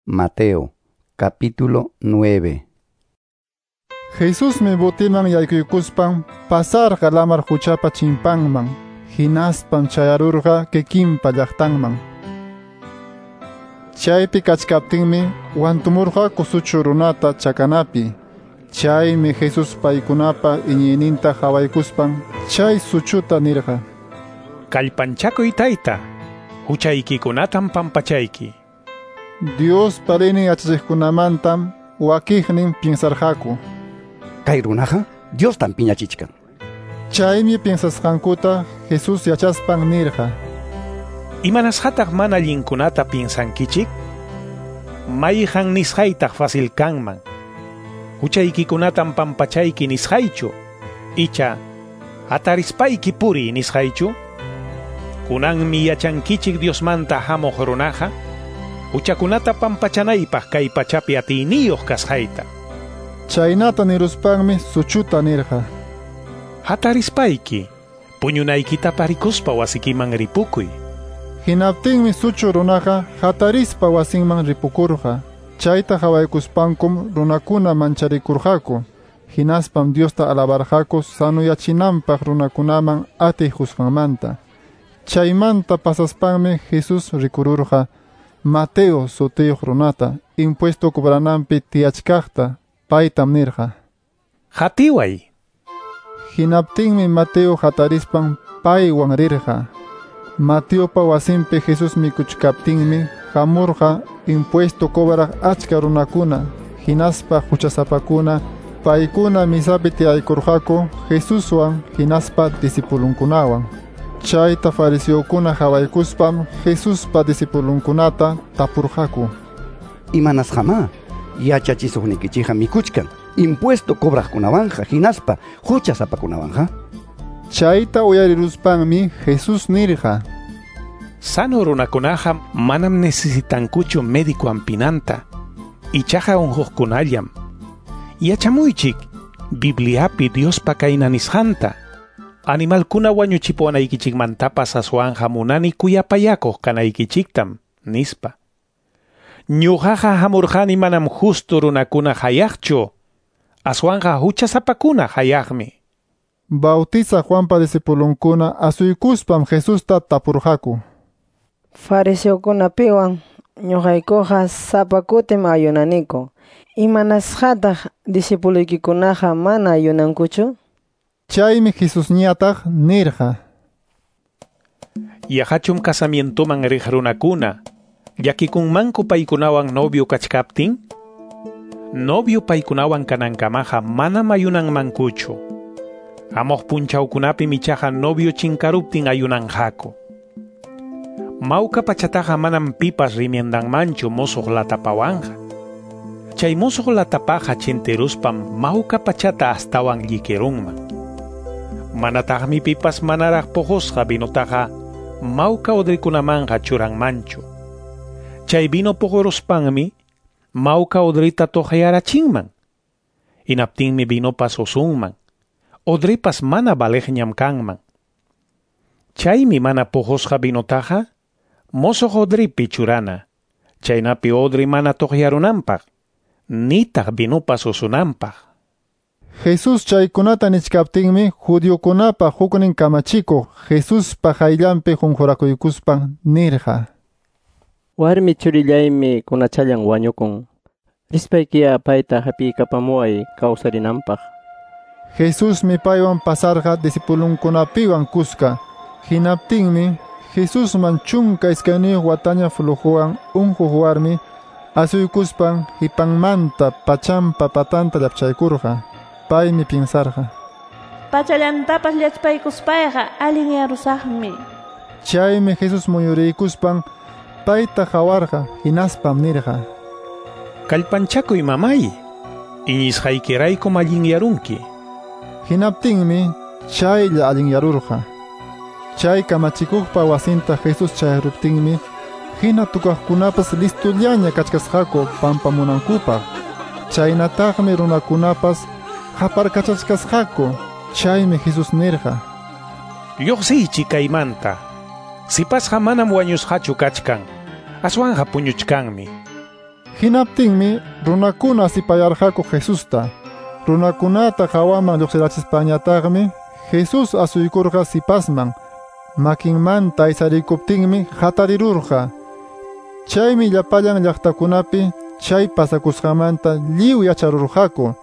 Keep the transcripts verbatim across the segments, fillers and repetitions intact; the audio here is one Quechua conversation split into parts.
Mateo, capítulo nueve. Jesusmi botiman yaykuykuspan pasarqa lamar quchapa chimpanman, hinaspam chayarurqa kikinpa llaqtanman. Chaypi kachkaptinmi wantumurqaku suchu runata chakanapi. Chaymi Jesus paykunapa iñiyninta qhawaykuspan chay suchuta nirqa: Kallpanchakuy tayta, huchaykikunatam pampachayki. Diospa leynin yachachiqkunamantam wakiqnin piensarqaku: Kay runaqa Diostam piñachichkan. Chaymi piensasqankuta Jesus yachaspan nirqa: Imanasqataq mana allinkunata piensankichik? Mayqan nisqaytaq fácil kanman? Huchaykikunatam pampachayki nisqaychu, icha hatarispayki puriy nisqaychu? Kunanmi yachankichik Diosmanta hamuq runaqa huchakunata pampachanaypaq kay pachapi atiyniyuq kasqayta. Chaynata niruspanmi suchuta nirqa: Hatarispayki, puñunaykita parikuspa wasikiman ripukuy. Hinaptinmi suchu runaqa hatarispa wasinman ripukurqa. Chayta qhawaykuspankum runakuna mancharikurqaku. Hinaspam Diosta alabarqaku sanuyachinanpaq runakunaman atiy qusqanmanta. Chaymanta pasaspanmi Jesus rikururqa Mateo sutiyuq runata impuesto cobrananpi tiyachkaqta. Paytam nirqa: Hatiway. Hinaptinmi Mateo hatarispan paywan rirqa. Mateopa wasinpi Jesus mikuchkaptinmi hamurqa impuesto cobraq achka runakuna, hinaspa huchasapakuna. Paykuna misapi tiyaykurqaku Jesuswan hinaspa discipulunkunawan. Chayta fariseokuna qhawaykuspam Jesuspa discipulunkunata tapurqaku: Imanasqamá yachachisuqnikichikqa mikuchkan impuesto cobraqkunawanqa hinaspa huchasapakunawanqa? Chayta uyariruspanmi Jesus nirqa: Sano runakunaqa manam necesitankuchu médico ampinanta, ichaqa unquqkunallam. Yachamuychik Bibliapi Diospa kayna nisqanta: Animalkuna wañuchipuwanaykichikmantapas aswanqa munani kuyapayakuq kanaykichiktam, nispa. Ñuqaqa hamurqani manam justo runakuna hayaqchu, aswanqa huchasapakuna hayaqmi. Bautizaq Juanpa discipulunkuna asuykuspam Jesusta tapurqaku: Fariseokunapiwan ñuqaykuqa sapa kutim ayunaniku. Imanasqataq discipuloykikunaqa mana ayunankuchu? Chaymi Jesusñataq nirqa: Yaqachum casamientoman riq runakuna llakikunmanku paykunawan novio kachkaptin? Novio paykunawan kanankamaqa manam ayunanmankuchu. Hamuq punchawkunapim ichaqa novio chinkaruptin ayunanqaku. Mawka pachataqa manam pipas rimiendanmanchu musuq latapawanqa. Chay musuq latapaqa chintiruspam mawka pachata astawan llikirunman. Manataqmi pipas manaraq puqusqa vinotaqa mawka odrikunamanqa churanmanchu. Chay vino puquruspanmi mawka odrita tuqyarachinman. Hinaptinmi vinopas usunman, odripas mana valeqñam kanman. Chaymi mana puqusqa vinotaqa musuq odripi churana, chaynapi odri mana tuqyarunanpaq, nitaq vinopas usunanpaq. Jesus chaykunata nichkaptinmi judiokunapa huknin kamachikuq Jesuspa qayllanpi qunqurakuykuspan nirqa: Warmi churillaymi kunachallan wañukun. Rispaykiya payta hapiykapamuway kawsarinanpaq. Jesusmi paywan pasarqa discipulunkunapiwan kuska. Hinaptinmi Jesusman chunka iskayniyuq wataña flujowan unquq warmi asuykuspan hipanmanta pachampa patanta llapchaykurqa. Paymi piensarqa: Pachallantapas llachpaykuspayqa allinyarusaqmi. Chaymi Jesus muyuriykuspan payta qawarqa, hinaspam nirqa: Kallpanchakuy mamay, iñisqaykiraykum allinyarunki. Hinaptinmi chaylla allinyarurqa. Chay kamachikuqpa wasinta Jesus chayaruptinmi hina tukaqkunapas listullaña kachkasqaku pampamunankupaq. Chaynataqmi runakunapas qaparkachachkasqaku. Chaymi Jesus nirqa: Lluqsiychik kaymanta. Sipasqa manam wañusqachu kachkan, aswanqa puñuchkanmi. Hinaptinmi runakuna asipayarqaku Jesusta. Runakunata hawaman lluqsirachispañataqmi Jesús asuykurqa sipasman. Makinmanta aysarikuptinmi hatarirurqa. Chaymi llapallan llaqtakunapi chay pasakusqanmanta lliw yacharurqaku.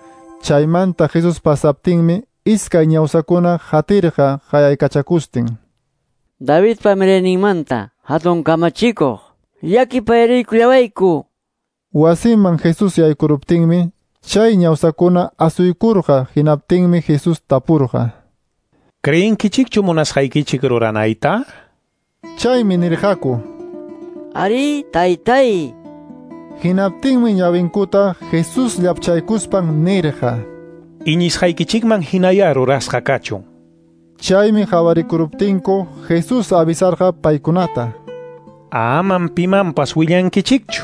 Chaymanta Jesús pasaptinmi iskay ñawsakuna hatirqa qayaykachakustin. Davidpa mirayninmanta hatun kamachikuq, llakipayariykullawayku. Wasiman Jesús yaykuruptinmi chay ñawsakuna asuykurqa. Hinaptinmi Jesús tapurqa: ¿Creenkichikchu munasqaykichik ruranayta? Chaymi nirqaku: Ari, taytay. Hinaptinmi ñawinkuta Jesús llapchaykuspan nirqa: Iñisqaykichikman hinaya rurasqa kachun. Chaymi qhawarikuruptinku Jesús avisarqa paykunata: Amam pimanpas willankichikchu.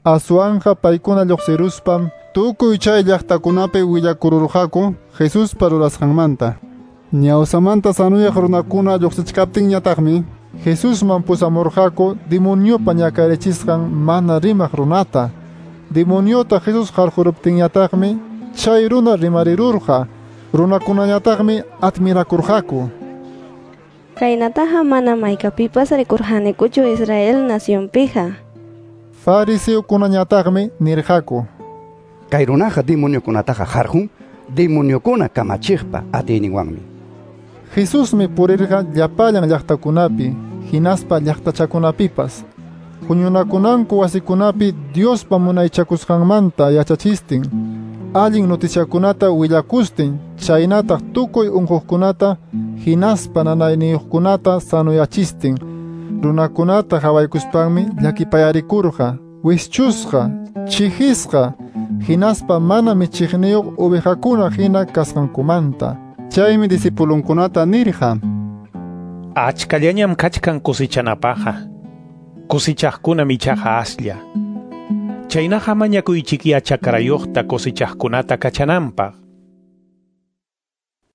Aswanqa paykuna lluqsiruspam tukuy chay llaqtakunapi willakururqaku Jesuspa rurasqanmanta. Ñawsamanta sanuyaq runakuna lluqsichkaptinñataqmi Jesusman pusamurqaku demoniopa ñakarichisqan mana rimaq runata. Demoniota Jesús qarquruptinñataqmi chay runa rimarirurqa. Runakunañataqmi admirakurqaku. Kaynataqa manam haykapipas rikurqanikuchu Israel nacionpiqa. Fariseokunañataqmi nirqaku: Kay runaqa demoniokunataqa qarqun demoniokuna kamachiqpa atiyninwanmi. Jesusmi purirqa llapallan llaqtakunapi hinaspa llaqtachakunapipas. Huñunakunanku wasikunapi Diospa munaychakusqanmanta yachachistin, allin noticiakunata willakustin, chaynataq tukuy unquqkunata hinaspa nanayniyuqkunata sanuyachistin. Runakunata qhawaykuspanmi llakipayarikurqa, wischusqa, chihisqa, hinaspa mana michiqniyuq ovejakuna hina kasqankumanta. Chaymi discipulunkunata nirqa: Achkallañam kachkan kusichanapaqqa, kusichaqkunam ichaqa aslla. Chaynaqa mañakuychikya chakrayuqta kusichaqkunata kachananpaq.